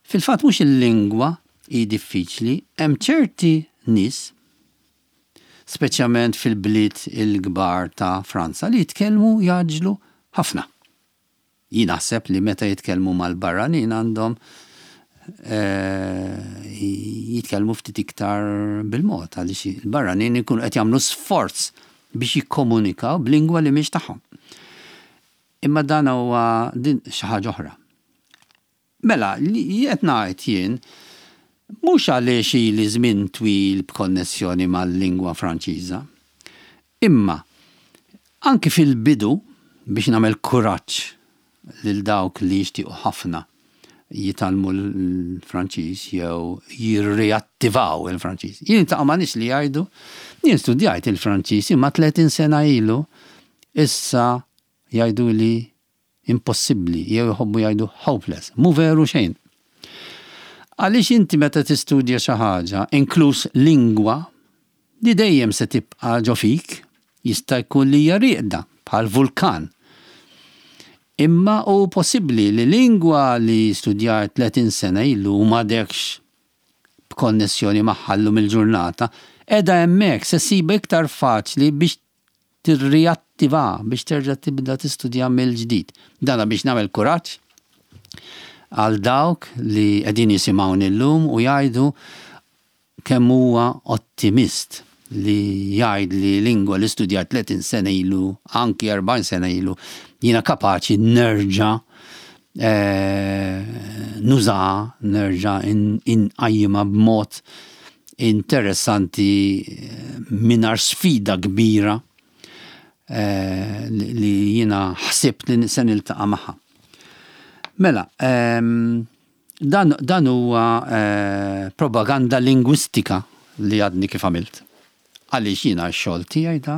Fil-fatt mhux il-lingwa hi diffiċli, hemm ċerti nies, speċjalment fil-bliet il-kbar ta' Franza, li jitkellmu jgħaġġlu ħafna. Jien naħseb li meta jitkellmu mal-barranin għandhom eh, jitkellmu ftit iktar bil-mod, għaliex il-barranin ikunu qed jagħmlu sforz biex jikkomunikaw b'lingwa li mhix tagħhom. Imma dan huwa din xi ħaġa oħra. Mela, li qed ngħid jien mhux għaliex ili żmien twil b'konnessjoni mal-lingwa Franċiża, imma anki fil-bidu biex nagħmel kuraġġ lil dawk li jixtiequ ħafna jitgħallmu l-Franċiż jew jirriattivaw il-Franċiż. Jien niltaqa' ma' nies li jgħidu, jien studjajt il-Franċiż imma tletin sena ilu, issa jgħidu li impossibbli jew jħobbu jgħidu hopeless. Mhu veru xejn. Għaliex inti meta tistudja xi ħaġa, inkluż lingwa, li dejjem se tibqa' ġo fik, jista' jkun li hija rieqda bħal vulkan. Imma hu possibbli li lingwa li studjajt tletin sena ilu u m'għadekx b'konnessjoni magħha llum il-ġurnata, qiegħda hemmhekk, se ssibha iktar faċli biex tirriattiva, biex terġa' tibda tistudja mill-ġdid. Dana biex nagħmel kuraġġ għal dawk li qegħdin jisimgħuni llum u jgħidu kemm huwa ottimist li jgħid li lingwa li studjat tletin sena ilu, anki erbgħin sena ilu, jiena kapaċi nerġa' eh, nuża, nerġa' inqajjimha b'mod interessanti eh, mingħajr sfida kbira. eh, li jiena ħsibt li se niltaqa' magħha. Mela, ehm, dan, dan huwa eh, propaganda lingwistika li għadni kif għamilt. Għaliex jiena x-xogħol tiegħi da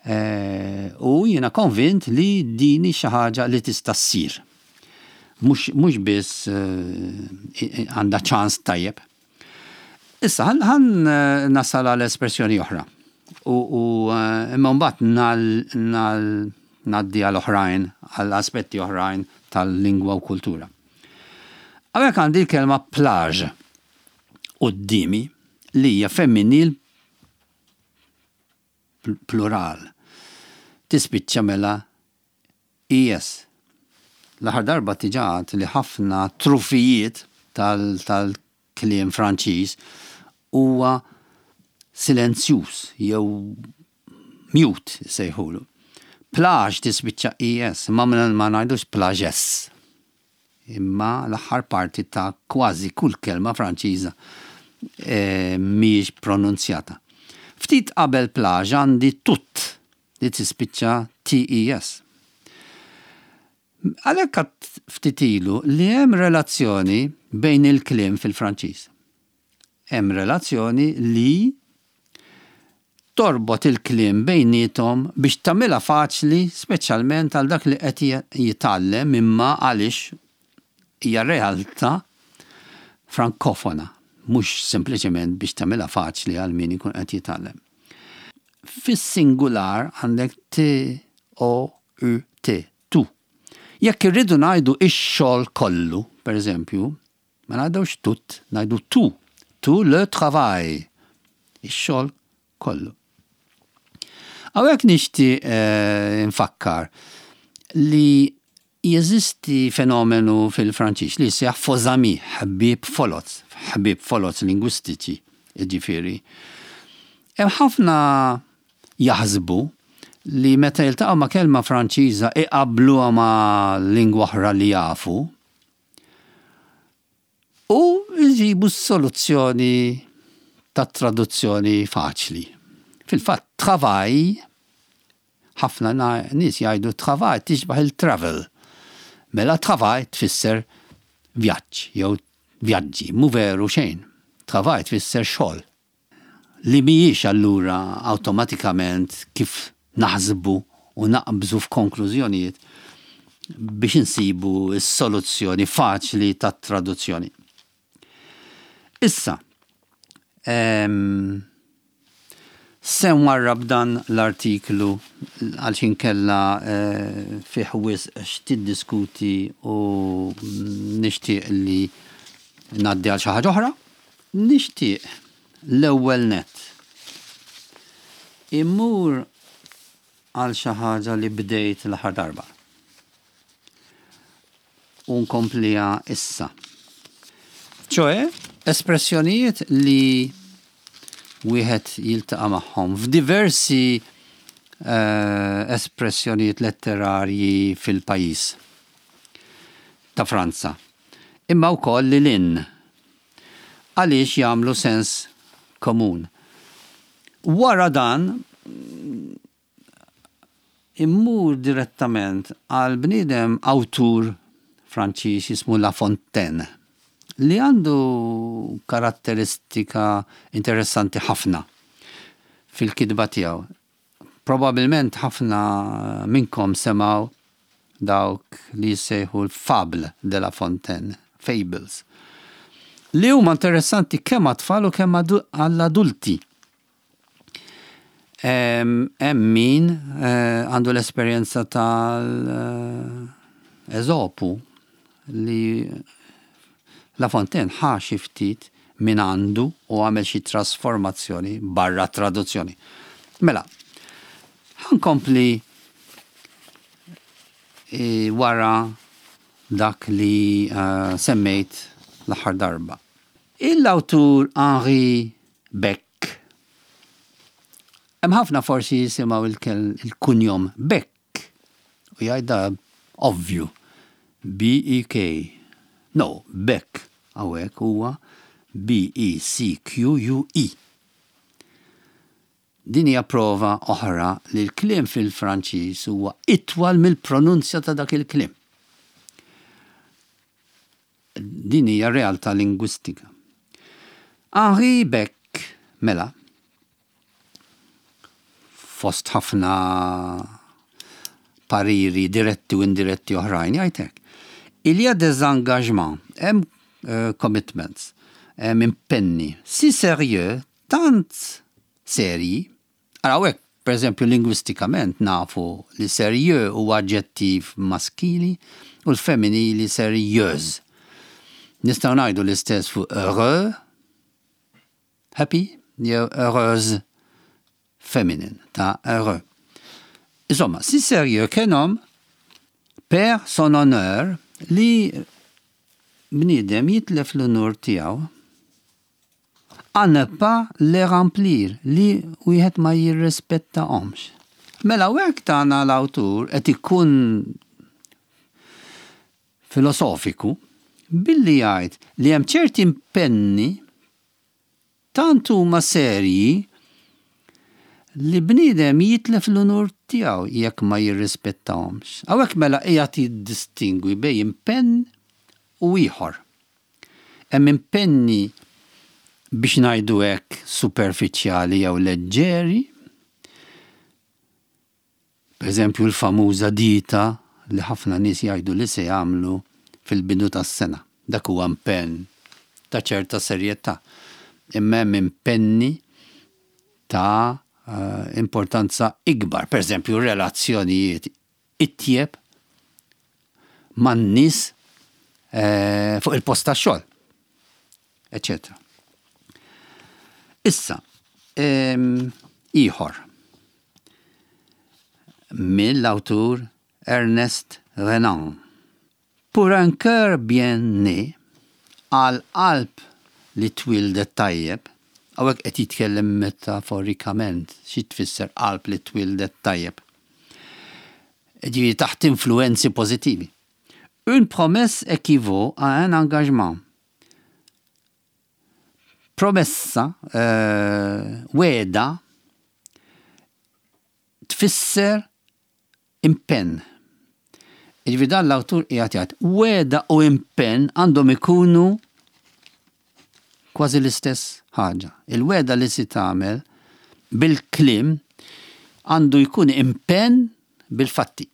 eh, u jiena konvint li din hi xi ħaġa li tista' ssir. Mhux biss eh, għandha ċans tajjeb. Issa, ħa nasal għal espressjoni oħra. U imma mbagħad ngħaddi għal oħrajn, għal aspetti oħrajn tal-lingwa u kultura. Hawnhekk għandi l-kelma plage quddiemi li hija femminil plural. Tispiċċa mela E S. L-aħħar darba diġà għedt li ħafna trufijiet tal-kliem Franċiż huwa silenzjuż jew mute sejħulu. Plage tispiċċa E S, ma ma ngħidux plages. Imma l-aħħar parti ta' kważi kull kelma Franċiża e, mhijiex pronunzjata. Ftit qabel plage għandi tout li tispiċċa T E S. Għalhekk għedt ftit ilu li hemm relazzjoni bejn il-kliem fil-Franċiż. Hemm relazzjoni li torbot il-kliem bejnietom biex tagħmilha faċli, speċjalment għal dak li qed jitgħallem, imma għaliex hija realtà frankofona, mhux sempliċement biex tagħmilha faċli għal min ikun qed jitgħallem. Fis-singular għandek T O U T, tout. Jekk irridu ngħidu ix-xogħol kollu, per eżempju, ma ngħidux tout, ngħidu tout, tout le travail. Ix-xogħol kollu. Hawnhekk nixtieq eh, nfakkar li jeżisti fenomenu fil-Franċiż li jsejjaħ faux amis, ħbieb foloz, ħbieb foloz lingwistiċi, ġifieri. Hemm ħafna jaħsbu li meta jiltaqgħu ma' kelma Franċiża iqabluha ma' lingwa oħra li jafu u jġibu soluzzjoni ta' traduzzjoni faċli. Fil-fatt, travail, ħafna nies jgħidu travail tixbaħ il-travel. Mela travail tfisser vjaġġ jew vjaġġi, mhu veru xejn. Travail tfisser xogħol. Li mhijiex allura awtomatikament kif naħsbu u naqbżu f'konklużjonijiet biex insibu s-soluzzjoni faċli tat traduzzjoni. Issa, se nwarrab dan l-artiklu għal inkella eh, fih wisq x'tiddiskuti u nixtieq li ngħaddi għal xi ħaġa oħra. Nixtieq l-ewwel net immur għal xi ħaġa li bdejt l-aħħar darba. U nkompliha issa. ċoè, espressjonijiet li wieħed jiltaqa' magħhom f'diversi uh, espressjonijiet letterarji fil-pajjiż ta' Franza. Imma wkoll lil hinn għaliex jagħmlu sens komun. Wara dan immur direttament għal bniedem, awtur Franċiż jismu La Fontaine, li għandu karatteristika interessanti ħafna fil-kitba tiegħu. Probabilment ħafna minnkom semgħu dawk li jsejħu l-Fable de La Fontaine, Fables, li huma interessanti kemm għat-tfal u kemm għall-adulti. Hemm min eh, għandu l-esperjenza tal-Eżopu li La Fontaine ħa xi ftit minn għandu u għamel xi trasformazzjoni barra traduzzjoni. Mela, ħa nkompli e, wara dak li uh, semmejt l-aħħar darba. Il-awtur Henri Becque. Hemm ħafna forsi jisimgħu il-kunjom Beck u jgħidha ovvju B E K. No, Beck hawnhekk huwa B E C Q U E. Din hija prova oħra li l-kliem fil-Franċiż huwa itwal mill-pronunzja ta' dak il-kliem. Din hija realtà lingwistika. Henri Becque, mela, fost ħafna pariri diretti u indiretti oħrajn, jgħidlek: "Il y a des engagements", hemm uh, commitments, hemm impenni, "si sérieux", tant serji. Araw hekk, per eżempju, lingwistikament nafu li sérieux huwa aġġettiv maskili u l-femminili sérieuse. Nistgħu ngħidu l-istess fuq heureux, happy, jew heureuse, feminine ta' heureux. Insomma, "si sérieux qu'un homme perd son honneur", li bniedem jitlef l-unur tiegħu, "à ne pas les remplir", li wieħed ma jirrispettahomx. Mela hekk tagħna l-awtur qed ikun filosofiku billi jgħid li hemm ċerti impenni tant huma serji li bniedem jitlef l-unur tiegħu jekk ma jirrispettahomx. Hawnhekk mela qiegħed jiddistingwi bejn impenn u ieħor. Hemm impenni, biex ngħidu hekk, superfiċjali jew leġġeri. Per eżempju, l-famuża dieta li ħafna nies jgħidu li se jagħmlu fil-bidu tas-sena. Dak huwa impenn ta' ċerta serjetà. Imma hemm impenni ta' eh, importanza ikbar. Per eżempju, relazzjonijiet itjeb man-nies eh, fuq il-post tax-xogħol, eccetera. Issa, ieħor mill-awtur Ernest Renan. "Pour un cœur bien né", għal qalb li twildet tajjeb, hawnhekk qed jitkellem metaforikament, xi tfisser qalb li twildet tajjeb? Ġifieri taħt influenzi pozittivi. "Une promesse équivaut à un engagement." Promessa, uh, wegħda, tfisser impenn. Ġifieri dan l-awtur qiegħed jgħid, wegħda u impenn għandhom ikunu kważi l-istess ħaġa. Il-wegħda li si tagħmel bil-kliem għandu jkun impenn bil-fatti.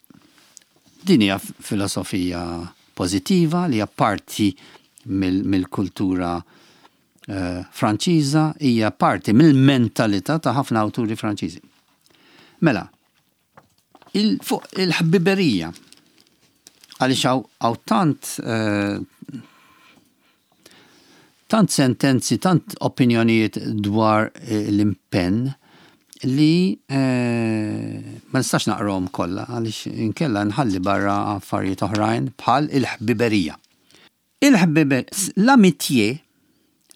Din hija filosofija pożittiva li hija parti mill-kultura uh, Franċiża, hija parti mill-mentalità ta' ħafna awturi Franċiżi. Mela, il, fuq il-ħbiberija, għaliex hawn tant uh, tant sentenzi, tant opinjonijiet dwar eh, l-impenn li eh, ma nistax naqrom kollha għaliex inkella nħalli barra affarijiet oħrajn bħal il-ħbiberija. Il-ħbiber, l-amitié,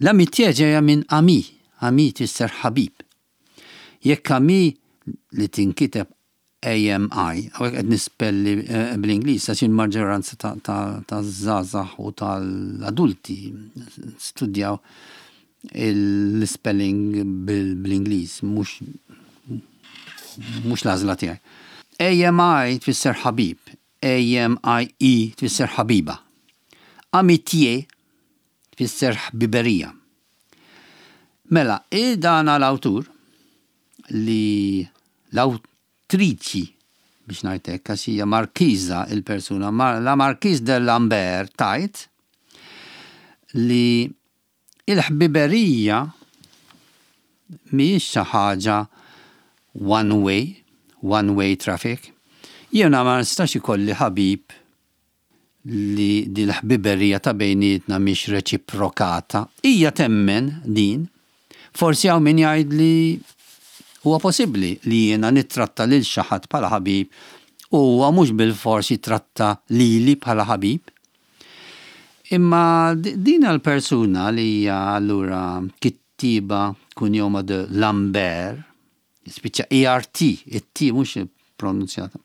l-amitié ġejja minn ami, ami tfisser ħabib. Jekk ami li tinkiteb A M I, hawnhekk qed nispelli eh, bl-Ingliż, għax il-maġġoranza ta' żgħażagħ u tal-adulti studjaw l-spelling bl-Ingliż, mhux mhux l-għażla tiegħi. A M I tfisser ħabib, A M I E tfisser ħabiba. Amitié tfisser ħbiberija. Mela, dan l-awtur li l-awtriċi, biex ngħidlek, għax hija markiża il-persuna, la Marquise de Lambert, tgħid li il-ħbiberija mhijiex xi ħaġa one way, one way traffic. Jiena ma nistax ikolli ħabib li di l-ħbiberija ta' bejnietna mhix reċiprokata. Hija temmen din. Forsi hawn min jgħid li huwa possibbli li jiena nittratta lil xi ħadd bħala ħabib u huwa mhux bil-fors jitratta lili bħala ħabib. Imma din l-persuna li hija allura kittiba kunjoma de Lambert, spiċċa E R T, it-T mhux pronunzjata.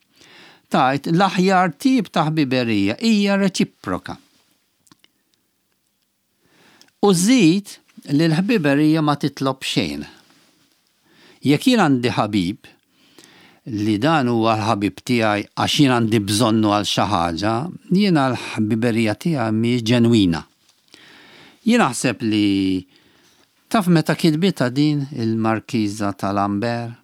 Tgħid l-aħjar tip ta' ħbiberija hija reċiproka. U żid li l-ħbiberija ma titlob xejn. Jekk jien għandi ħabib li dan huwa l-ħabib tiegħi għax jien għandi bżonnu għal xi ħaġa, jiena l-ħbiberija tiegħi mhijiex ġenwina. Jien naħseb li taf meta kitbitha din il-Markiża ta' Lambert?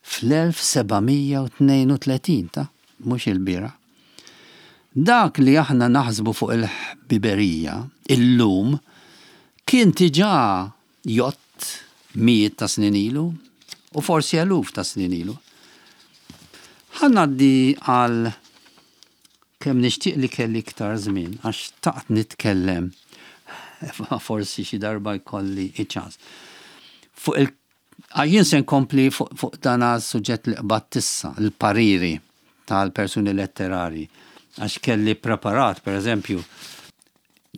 fl-elf seba' mija u tnejn u tletin ta', mhux ilbieraħ. Dak li aħna naħsbu fuq il-ħbiberija illum kien diġà jgħodd mijiet ta' snin ilu u forsi eluf ta' snin ilu. Ħa ngħaddi għal kemm nixtieq li kelli iktar żmien, għax xtaqt nitkellem, forsi xi darba jkolli iċ-ċans. Fuq il jien se nkompli fuq fu dan suġġett li qbadt issa, il-pariri tal-persuni letterari, għax kelli preparat, per eżempju,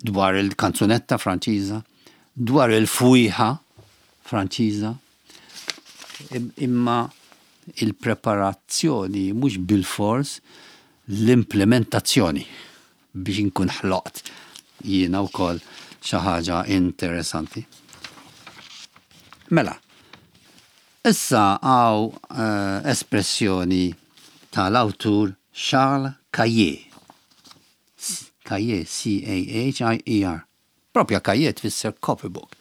dwar il-kanzunetta Franċiża, dwar il-fwiħa Franċiża, imma il-preparazzjoni mhux bil-fors l-implementazzjoni biex inkun ħloqt jiena wkoll xi ħaġa interessanti. Mela, issa hawn uh, espressjoni tal-awtur Charles Cahier. Cahier, C A H I E R. Propja cahier tfisser copybook.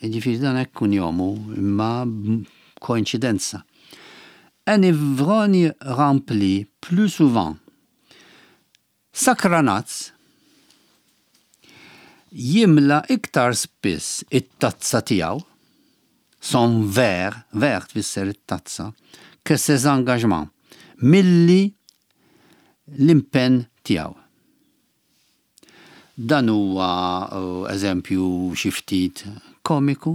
Ġifieri dan hekk kunjomu, imma koinċidenza. Un ivrogne remplit plus souvent. Sakranazz jimla iktar spiss it-tazza tiegħu, son verre, verre tfisser it-tazza, que ses engagements, milli l-impenn tiegħu. Dan huwa uh, eżempju xi ftit komiku.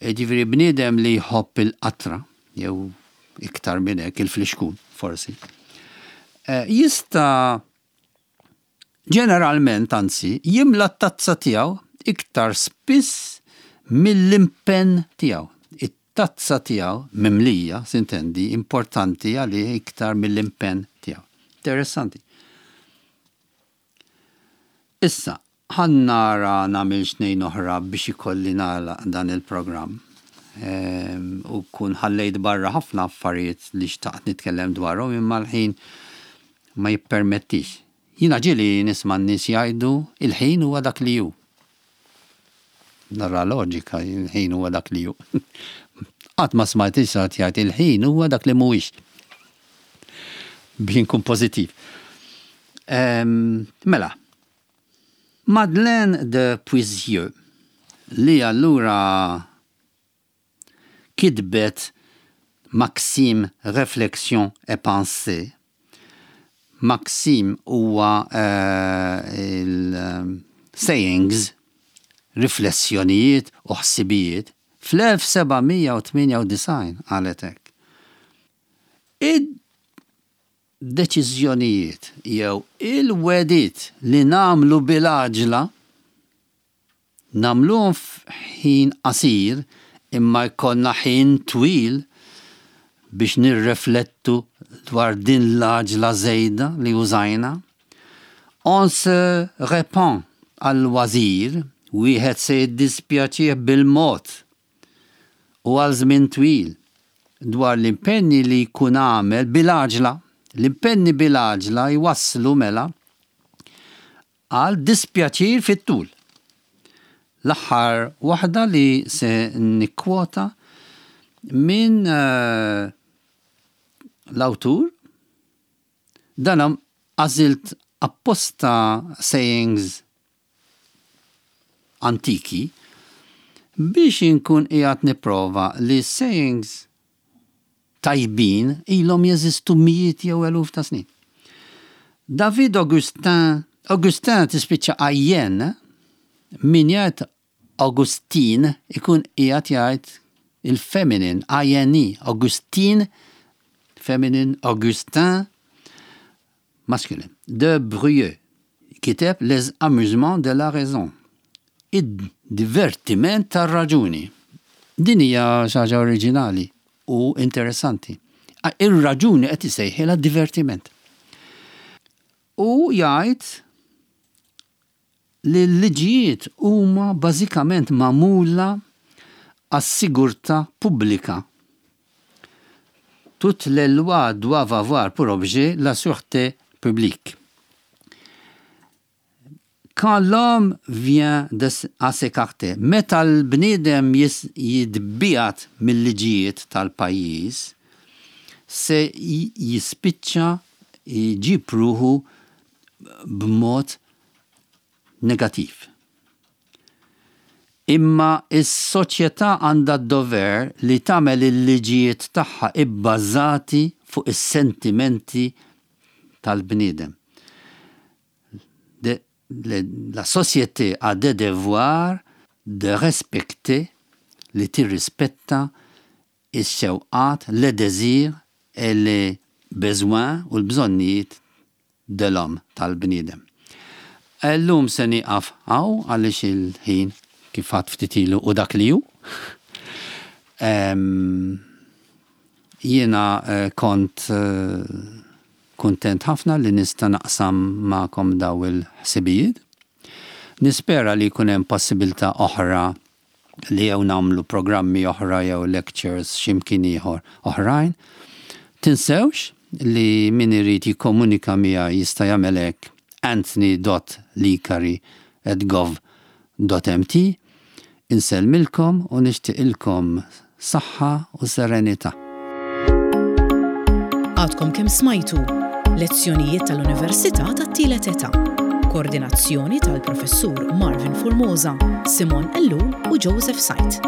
Ġifieri bniedem li jħobb il-qatra, jew iktar minn hekk il-flixkun, forsi. Eh, jista' ġeneralment, anzi, jimla t-tazza tiegħu iktar spiss mill-impenn tiegħu. It-tazza tiegħu mimlija, s'intendi, importanti għalih iktar mill-impenn tiegħu. Interessanti. Issa, ħa nara nagħmel tnejn oħra biex ikolli nagħlaq dan il-programm. Ehm, u kun ħallejt barra ħafna affarijiet li xtaqt nitkellem dwarhom, imma l-ħin ma jippermettix. Jiena ġieli nisma' n-nies jgħidu: "Il-ħin huwa dak li hu." Nara loġika, il-ħin huwa dak li hu. Qatt ma smajt ħadd jgħid: "Il-ħin huwa dak li mhuwiex." Biex inkun pożittiv. Ehm, mela, Madeleine de Puisieux, li allura kitbet Maximes, Réflexions et Pensées. Maxime huwa uh, il-sayings, riflessjonijiet u ħsibijiet, fl-elf seba' mija u tmienja u disgħin qalet hekk: "Id-deċiżjonijiet jew il-wegħdiet li nagħmlu bil-għaġla, nagħmluhom f'ħin qasir, imma jkollna ħin twil biex nirreflettu dwar din l-għaġla żejda li użajna. On se repent à loisir, wieħed se jiddispjaċih bil-mod u għal żmien twil dwar l-impenni li jkun għamel bil-għaġla." L-impenni bil-għaġla jwasslu mela għal dispjaċir fit-tul. L-aħħar waħda li se nikkwota minn uh, l-awtur, dan għażilt apposta sayings antiki biex inkun qiegħed nipprova li sayings tajbin ilhom jeżistu mijiet jew eluf ta' snin. David Augustin, Augustin tispiċċa I N, min jgħid Augustin ikun qiegħed jgħid il-feminin, I N E, Augustine, feminin, Augustin, masculin. De Brieux, kiteb Les Amusements de la Raison, id-divertiment tar-raġuni. Din hija xi ħaġa oriġinali u interessanti. Ir-raġuni qed isejħilha divertiment. U jgħid li l-liġijiet huma bażikament magħmula għas-sigurtà pubblika. Toutes les lois doivent avoir pour objet la sûreté publique. Quand l'homme vient de, à s'écarter, meta l-bniedem jitbiegħed mill-liġijiet tal-pajjiż, se jispiċċa jġib ruħu b'mod negativ. Imma is-soċjetà għandha d-dover li tagħmel il-liġijiet tagħha ibbażati fuq is-sentimenti tal-bniedem. La société a des devoirs de respecter, li tirrispetta ix-xewqat, les désirs et les besoins u l-bżonnijiet de l'homme, tal-bniedem. Illum se nieqaf hawn għaliex il-ħin, kif għedt ftit ilu, u dak li hu. Jiena eh, kont eh, kontent ħafna li nista' naqsam magħkom daw il-ħsibijiet. Nispera li jkun hemm possibilità oħra li jew nagħmlu programmi oħra jew lectures x'imkien ieħor oħrajn. Tinsewx li min irid jikkomunika miegħi jista' jagħmel hekk: anthony dot licari at gov dot M T. Insellmilkom u nixtieqilkom saħħa u serenità. Għadkom kemm smajtu lezzjonijiet tal-Università tat-Tielet Età. Koordinazzjoni tal-Professur Marvin Formosa, Simon Ellul u Joseph Said.